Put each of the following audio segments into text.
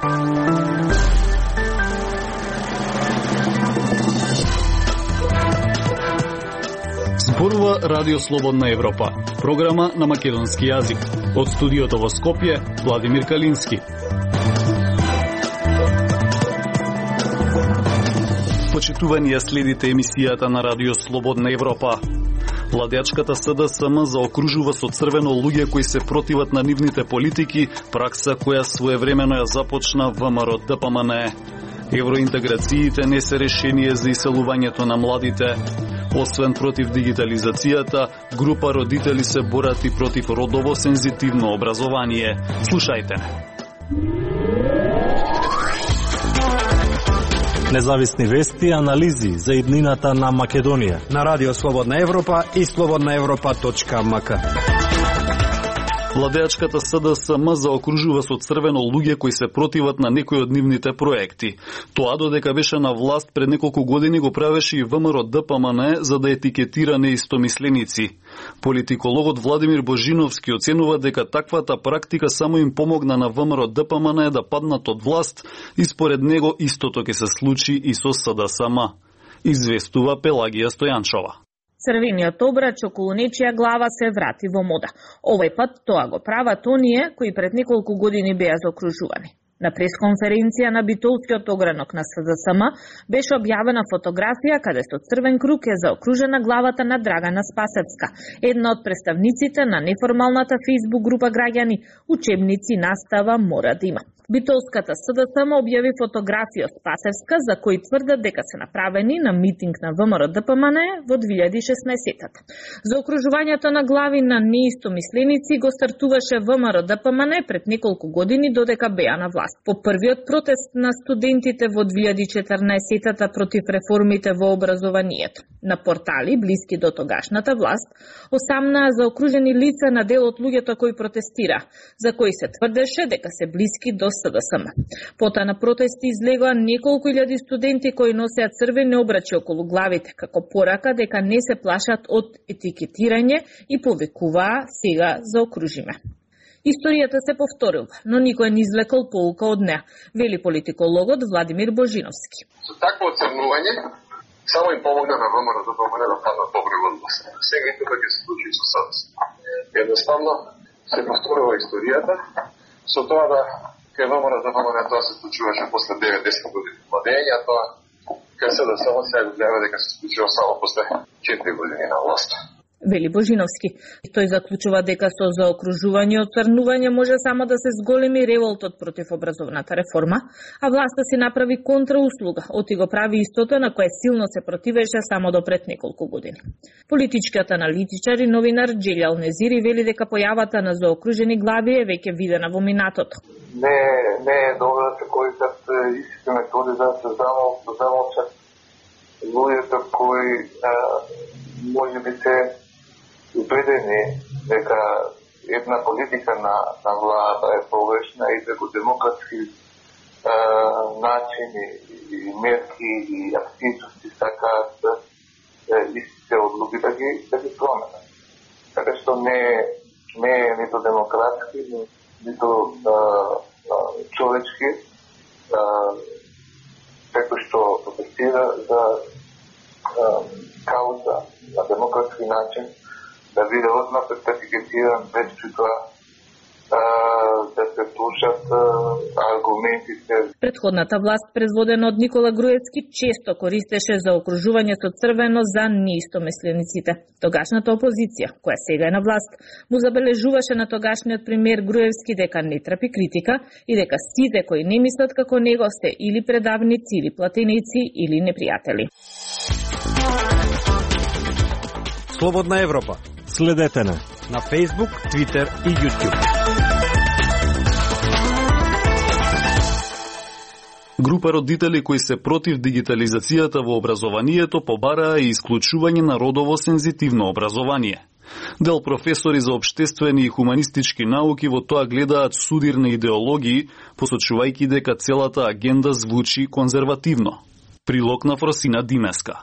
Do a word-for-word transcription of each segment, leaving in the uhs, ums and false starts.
Зборува Радио Слободна Европа, програма на македонски јазик. Од студиото во Скопје, Владимир Калински. Почитувани ја следите емисијата на Радио Слободна Европа. Владеачката СДСМ заокружува со црвено луѓе кои се противат на нивните политики, пракса која своевремено ја започна ВМРО Д П М Н. Евроинтеграциите не се решение за иселувањето на младите. Освен против дигитализацијата, група родители се борат и против родово сензитивно образование. Слушајте не. Независни вести и анализи за иднината на Македонија на Радио Слободна Европа и слободна европа точка м к. Владеачката СДСМ заокружува со црвено луѓе кои се противат на некои од нивните проекти. Тоа додека беше на власт пред неколку години го правеше и ВМРО Д П М Н за да етикетира неистомисленици. Политикологот Владимир Божиновски оценува дека таквата практика само им помогна на ВМРО Д П М Н да паднат од власт и според него истото ќе се случи и со СДСМ. Известува Пелагија Стојанчова. Црвениот обрач околу нечија глава се врати во мода. Овој пат тоа го прават оние кои пред неколку години беа заокружувани. На пресконференција на битолскиот огранок на СДСМ беше објавена фотографија каде со црвен круг е заокружена главата на Драгана Спасевска, една од представниците на неформалната фејсбук група граѓани "Учебници настава мора да има". Битолската СДСМ објави фотографија од Спасевска за кои тврдат дека се направени на митинг на ВМРО Д П М Н во две илјади и шеснаесетта. Заокружувањето на глави на неистомисленици го стартуваше ВМРО Д П М Н пред неколку години додека беа на власт. По првиот протест на студентите во две илјади и четрнаесетта против реформите во образованието. На портали блиски до тогашната власт осамнаа заокружени лица на дел од луѓето кои протестира, за кои се тврдеше дека се блиски до СДСМ. Пота на протести излегоа неколку илјади студенти кои носеа црвени обрачи околу главите, како порака дека не се плашат од етикетирање и повикуваа сега заокружиме. Историјата се повторила, но никој не извлекол поука од неа, вели политикологот Владимир Божиновски. Со такво оценување само им помогна на ВМРО Д П М Н да паднат добро во власт. Сега и тоа ќе се случи со СДСМ. Едноставно се повторила историјата со тоа да кај ВМРО Д П М Н тоа се случуваше после девет-десет години владење, а тоа кај СДСМ сега го гледа дека се случува само после четири години на власт. Вели Божиновски. Тој заклучува дека со заокружување и оцрнување може само да се зголеми револтот против образовната реформа, а власта си направи контрауслуга, оти го прави истото на кое силно се противеше само до пред неколку години. Политичкиот аналитичар и новинар Джелјал Незири вели дека појавата на заокружени глави е веќе видена во минатото. Не, не е добро да се користат истите методи за да се замолчат луѓето кои може би се убедени дека една политика на, на влада е погрешна и дека демократски е, начини и мерки и активности сакаат истите одлуки да ги, да ги променат. Така што не, не е нито демократски, нито а, а, човечки, како што протестира за а, кауза на демократски начин, да биде одмah сертифициран без тоа да се слушат аргументите. Предходната власт, предводена од Никола Груевски, често користеше за окружување со црвено за неистомислениците. Тогашната опозиција, која сега е на власт, му забележуваше на тогашниот премиер Груевски дека не трпи критика и дека сите кои не мислат како него сте или предавници, или платеници, или непријатели. Слободна Европа. Следете на на Facebook, Twitter и YouTube. Група родители кои се против дигитализацијата во образованието побараа и исклучување на родово сензитивно образование. Дел професори за општествени и хуманистички науки во тоа гледаат судир на идеологии, посочувајќи дека целата агенда звучи конзервативно. Прилог на Фросина Димеска.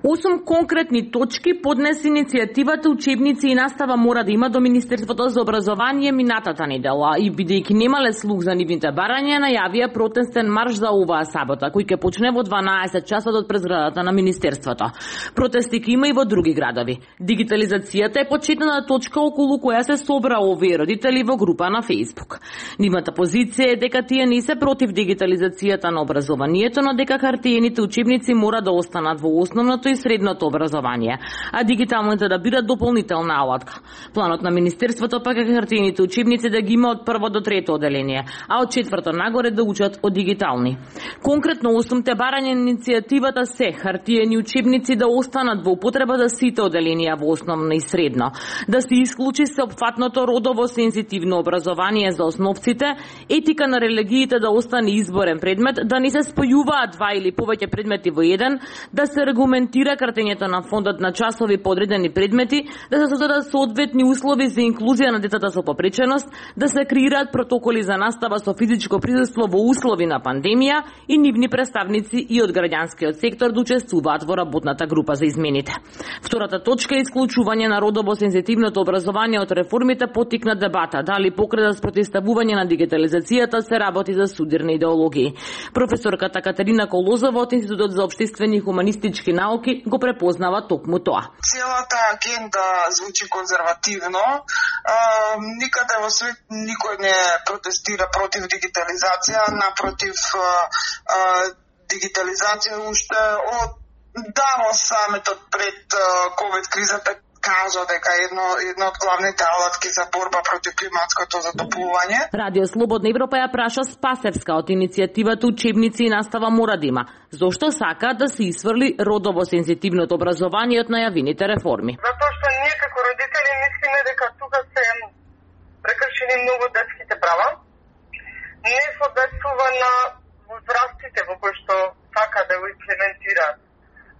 Осум конкретни точки поднесе иницијативата учебници и настава мора да има до Министерството за образование минатата недела и бидејќи немале слух за нивните барања, најавија протестен марш за оваа сабота, кој ќе почне во дванаесет часот од презградата на Министерството. Протести ќе има и во други градови. Дигитализацијата е почетната точка околу која се собра овие родители во група на Facebook. Нивната позиција е дека тие не се против дигитализацијата на образованието, но дека хартиените учебници мора да останат во основното и средното образование, а дигиталните да бидат дополнителна алатка. Планот на Министерството пак е хартиените учебници да ги има од прво до трето оделение, а од четврто нагоре да учат од дигитални. Конкретно осумте барања на иницијативата се хартиени учебници да останат во употреба за сите оделенија во основно и средно, да се исклучи сеопфатното родово сензитивно образование за основците, етика на религиите да остане изборен предмет, да не се спојуваат два или повеќе предмети во еден, да се регламентира кратењето на фондот на часови по одредени предмети, да се создадат соодветни услови за инклузија на децата со попреченост, да се креираат протоколи за настава со физичко присуство во услови на пандемија и нивни представници и од граѓанскиот сектор да учествуваат во работната група за измените. Втората точка е исклучување на родово сензитивното образование од реформите поттикна дебата дали покрај за спротивставување на дигитализацијата се работи за судирни идеологии. Професорката Катерина Колозова од Институтот за општествени и хуманистички науки го препознава токму тоа. Целата агенда звучи конзервативно. А, никаде во свет никој не протестира против дигитализација, напротив, а, а, дигитализација уште од давно саметот пред ковид кризата кажа дека едно едно од главните алатки за борба против климатското затоплување. Радио Слободна Европа ја праша Спасевска од иницијативата учебници и настава мора да има. Зошто сака да се исфрли родово сензитивното образование од најавените реформи? Затоа што ние како родители мислиме дека тука се прекршени многу детските права. Не соодветствува на возрастите во кои што сака да го имплементираат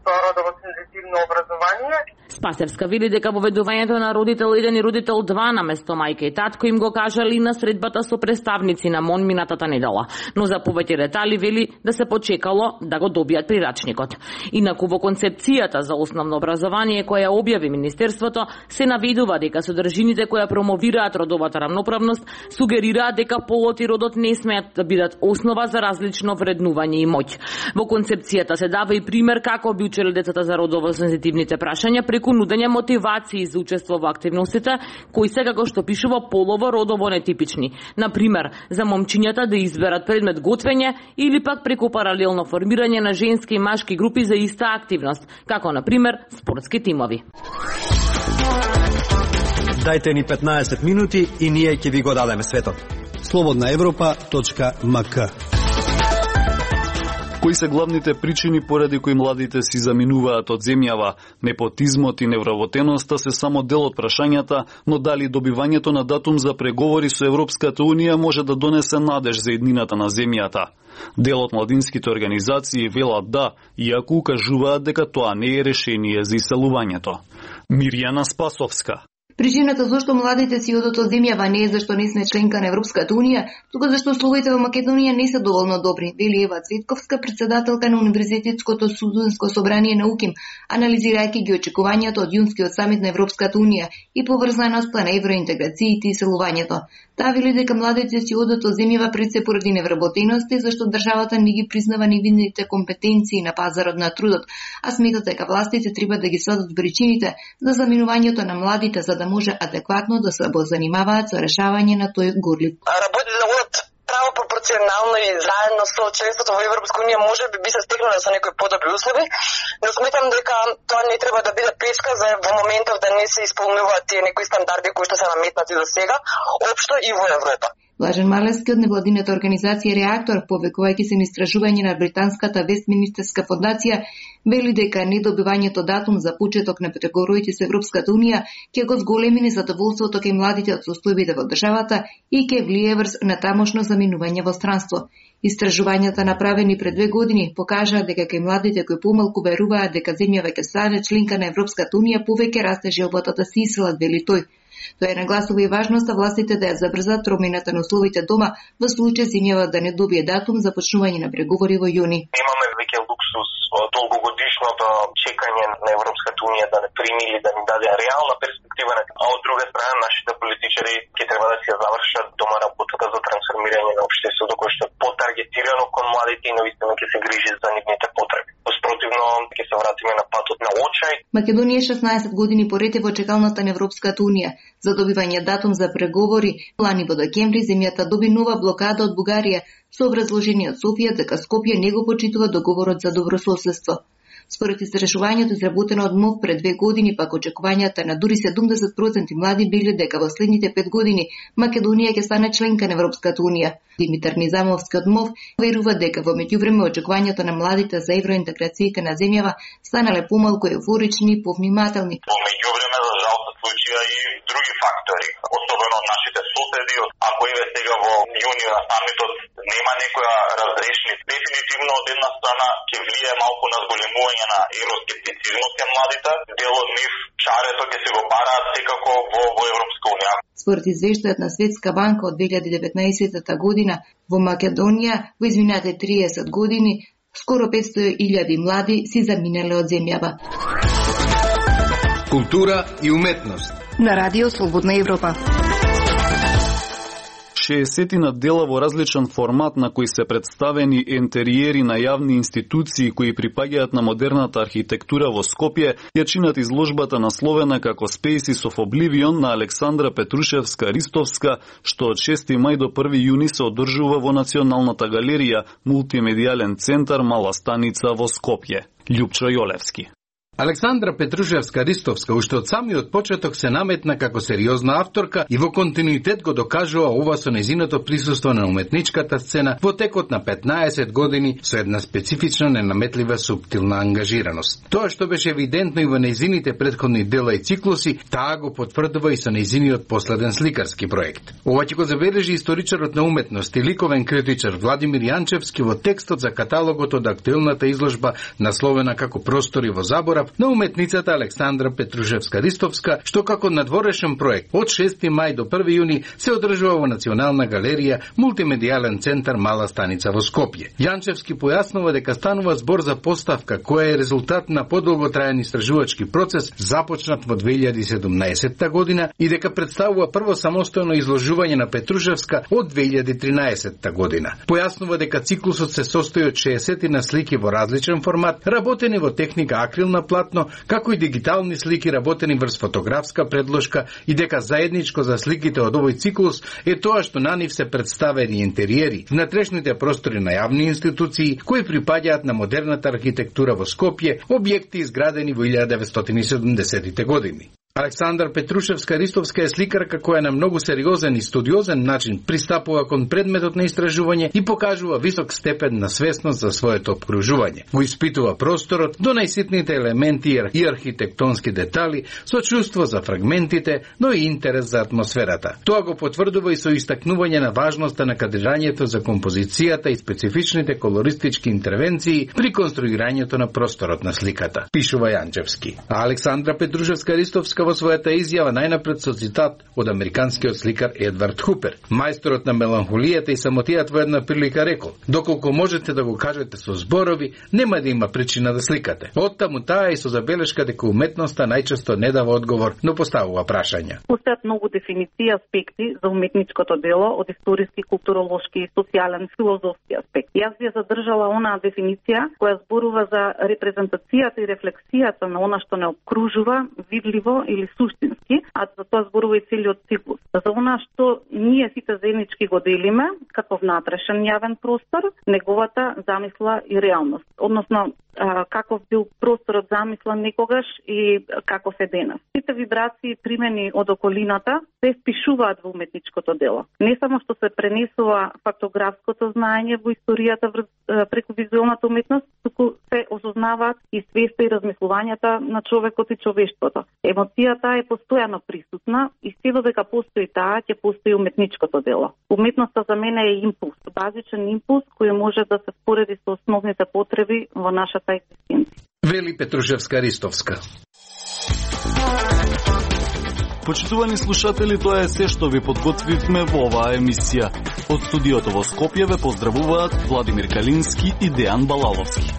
тоа родово сензитивно образование. Спасевска вели дека воведувањето на родител еден и родител два на место мајка и татко им го кажали на средбата со представници на МОН минатата недела, но за повеќе детали вели да се почекало да го добијат прирачникот. Инаку во концепцијата за основно образование која објави Министерството се наведува дека содржините која промовираат родовата рамноправност сугерираат дека полот и родот не смеат да бидат основа за различно вреднување и моќ. Во концепцијата се дава и пример како би учели децата за родово сензитивните прашања преку нудење мотивации за учество во активностите кои се како што пишува полово родово нетипични. На пример, за момчињата да изберат предмет готвење или пак преку паралелно формирање на женски и машки групи за иста активност, како на пример спортски тимови. Дајте ни петнаесет минути и ние ќе ви го дадеме светот. слободна европа точка ем ка. Кои се главните причини поради кои младите си заминуваат од земјава? Непотизмот и невработеноста се само дел од прашањата, но дали добивањето на датум за преговори со Европската Унија може да донесе надеж за еднината на земјата? Дел од младинските организации велат да, иако укажуваат дека тоа не е решение за иселувањето. Мирјана Спасовска. Причината зашто младите си одат од земјава не е зашто не сме членка на Европската Унија, туку зашто условите во Македонија не се доволно добри, вели Ева Цветковска, председателка на Универзитетското студентско собрание на УКИМ, анализирајќи ги очекувањата од јунскиот самит на Европската Унија и поврзаноста на евроинтеграциите и селувањето. Таа вели дека младите си одат од земјава пред се поради невработености, зашто државата не ги признава нивните компетенции на пазарот на трудот, а сметат дека властите треба да ги сватат причините за заминувањето на младите за да може адекватно да се занимаваат со решавање на тој горлив. Работите да одат право пропорционално и заедно со членството во Европска Унија може би би се стигнале со некои подобри услови, но сметам дека тоа не треба да биде пречка за во моментов да не се исполнуваат тие некои стандарди кои што се наметнати за сега, општо и во Европа. Блажен Малевски од невладината организација Реактор, повекувајќи се на истражување на британската Вестминистерска фондација, вели дека недобивањето датум за почеток на преговорите со Европската Унија ќе го зголеми незадоволството кај младите од состојбите во државата и ќе влие врз на тамошно заминување во странство. Истражувањата направени пред две години покажаа дека кај младите кои помалку веруваат дека земјава ќе стане членка на Европската Унија повеќе расте желбата да се иселат, вели тој. Тоа е нагласува и важноста властите да ја забрзат промената на условите дома во случај земјава да не добие датум за почнување на преговори во јуни. Имаме веќе луксус долгогодишното чекање на Европската унија да не прими или да ни даде реална перспектива, а од друга страна нашите политичари ќе треба да си ја завршат дома работата за трансформирање на општеството кој што е потаргетирано кон младите и навистина ќе се грижи за нивните потреби. Спротивно ќе се вратиме на патот на очај. Македонија шеснаесет години поред е во чекалната на Европската унија за добивање датум за преговори. Лани во декември земјата доби нова блокада од Бугарија со образложение од Софија дека Скопје не го почитува договорот за добрососедство. Според истражувањето изработено од МОВ пред две години, пак очекувањата на дури седумдесет проценти млади биле дека во следните пет години Македонија ќе стане членка на Европската унија. Димитар Низамовски од МОВ верува дека во меѓувреме очекувањата на младите за евроинтеграцијата на земјава станале помалку еуфорични и повнимателни. Во меѓувреме за жал се случија и други фактори, особено од нашите соседи. Ако еве сега во јуни на самитот нема некоја разрешни, дефинитивно од една страна ќе влијае малку на зголемување на евроскептицизмот кон младите, дел од нив чарето ќе се го бараат секако во, во Европска унија. Според извештајот на Светска банка од две илјади и деветнаесетта година, во Македонија во изминатите триесет години скоро петстотини илјади млади си заминале од земјава. Култура и уметност На радио Слободна Европа. шеесетина дела во различен формат на кои се представени ентериери на јавни институции кои припаѓаат на модерната архитектура во Скопје ја чинат изложбата насловена како Spaces of Oblivion на Александра Петрушевска-Ристовска, што од шести мај до први јуни се одржува во Националната галерија, мултимедијален центар Мала Станица во Скопје. Љупчо Јолевски. Александра Петрушевска-Ристовска уште од самиот почеток се наметна како сериозна авторка и во континуитет го докажува ова со нејзиното присуство на уметничката сцена во текот на петнаесет години со една специфична, ненаметлива, суптилна ангажираност. Тоа што беше евидентно и во нејзините претходни дела и циклуси, таа го потврдува и со нејзиниот последен сликарски проект. Ова ќе го забележи историчарот на уметност и ликовен критичар Владимир Јанчевски во текстот за каталогот од актуелната изложба насловена како Простори во заборав на уметницата Александра Петрушевска-Ристовска, што како надворешен проект од шести мај до први јуни се одржува во Национална галерија, мултимедијален центар Мала Станица во Скопје. Јанчевски појаснува дека станува збор за поставка која е резултат на подолготраен истражувачки процес започнат во две илјади и седумнаесетта година и дека представува прво самостојно изложување на Петрушевска од две илјади и тринаесетта година. Појаснува дека циклусот се состои од шеесетина слики во различен формат, работени во техника акрилна платно, како и дигитални слики работени врз фотографска предложка и дека заедничко за сликите од овој циклус е тоа што на нив се представени интериери, внатрешните простори на јавни институции кои припаѓаат на модерната архитектура во Скопје, објекти изградени во илјада деветстотини и седумдесетите години. Александра Петрушевска-Ристовска е сликарка која на многу сериозен и студиозен начин пристапува кон предметот на истражување и покажува висок степен на свесност за своето обкружување. Го испитува просторот до најситните елементи и архитектонски детали со чувство за фрагментите, но и интерес за атмосферата. Тоа го потврдува и со истакнување на важноста на кадрирањето за композицијата и специфичните колористички интервенции при конструирањето на просторот на сликата, пишува Јанчевски. А Александра Петрушевска-Ристовска во својата изјава најнапред со цитат од американскиот сликар Едвард Хупер. Мајсторот на меланхолијата и самотијата во една прилика рекол: "Доколку можете да го кажете со зборови, нема да има причина да сликате." Оттаму таа и со забелешка дека уметноста најчесто не дава одговор, но поставува прашања. Постојат многу дефиниции и аспекти за уметничкото дело од историски, културолошки, социјален, филозофски аспект. Јас би ја задржала онаа дефиниција која зборува за репрезентацијата и рефлексијата на она што не обкружува, видливо или суштински, а за тоа зборува и целиот циклус. За она што ние сите заеднички го делиме како внатрешен јавен простор, неговата замисла и реалност. Односно, каков бил просторот замислен некогаш и како се денес. Сите вибрации и примени од околината се впишуваат во уметничкото дело. Не само што се пренесува фактографското знаење во историјата преку визуелната уметност, туку се осознаваат и свеста и размислувањата на човекот и човештвото. Емоцијата е постојано присутна и се додека постои таа, ќе постои уметничкото дело. Уметноста за мене е импулс, базичен импулс кој може да се спореди со основните потреби во нашата екзистенција. Вели Петрушевска-Ристовска. Почитувани слушатели, тоа е се што ви подготвивме во оваа емисија. Од студиото во Скопје ве поздравуваат Владимир Калински и Дејан Балаловски.